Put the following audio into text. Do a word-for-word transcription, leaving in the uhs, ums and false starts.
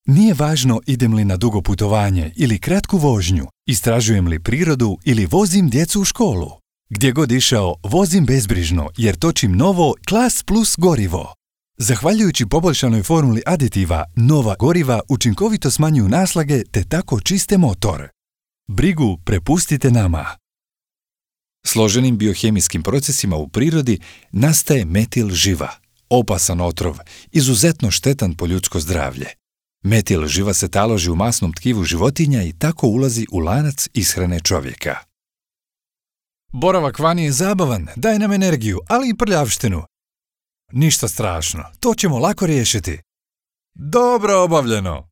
Nije važno idem li na dugo putovanje ili kratku vožnju, istražujem li prirodu ili vozim djecu u školu. Gdje god išao, vozim bezbrižno jer točim novo Klas Plus gorivo. Zahvaljujući poboljšanoj formuli aditiva, nova goriva učinkovito smanjuju naslage te tako čiste motor. Brigu prepustite nama. Složenim biohemijskim procesima u prirodi nastaje metil živa, opasan otrov, izuzetno štetan po ljudsko zdravlje. Metil živa se taloži u masnom tkivu životinja i tako ulazi u lanac ishrane čovjeka. Boravak vani je zabavan, daje nam energiju, ali i prljavštinu. Ništa strašno, to ćemo lako riješiti. Dobro obavljeno!